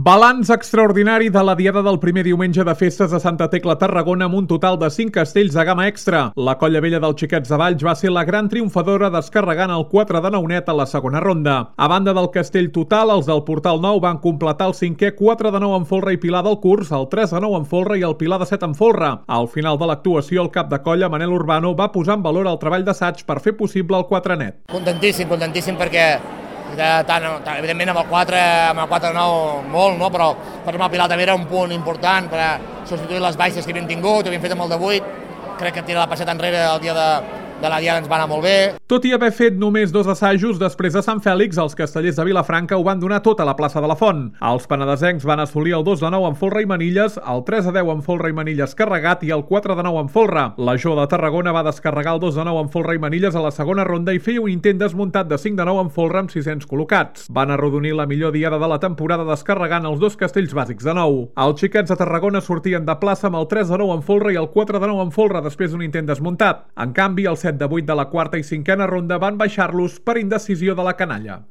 Balanç extraordinari de la diada del primer diumenge de festes a Santa Tecla, Tarragona, amb un total de 5 castells de gamma extra. La Colla Vella del Xiquets de Valls va ser la gran triomfadora descarregant el 4 de 9 net a la segona ronda. A banda del castell total, els del Portal Nou van completar el 5è 4 de 9 en folre i pilar del curs, el 3 de 9 en folre i el pilar de 7 en folre. Al final de l'actuació, el cap de colla, Manel Urbano, va posar en valor el treball d'assaig per fer possible el 4 net. Contentíssim perquè evidentment amb el 4-9 molt, no? Però per el Pilar també era un punt important per a substituir les baixes que havíem tingut, havíem fet amb el de 8, crec que tirar la passeta enrere el dia de la diada ens va anar molt bé. Tot i haver fet només 2 assajos, després de Sant Fèlix, els castellers de Vilafranca ho van donar tot a la plaça de la Font. Els penedesencs van assolir el 2 de 9 en folre i manilles, el 3 de 10 en folre i manilles carregat i el 4 de 9 en folre. La Jo de Tarragona va descarregar el 2 de 9 en folre i manilles a la segona ronda i feia un intent desmuntat de 5 de 9 en folre amb 600 col·locats. Van arrodonir la millor diada de la temporada descarregant els 2 castells bàsics de 9. Els Xiquets de Tarragona sortien de plaça amb el 3 de 9 en folre i el 4 de 9 en folre després d'un intent desmuntat. En canvi, el 7 de 8 de la quarta i cinquena ronda van baixar-los per indecisió de la canalla.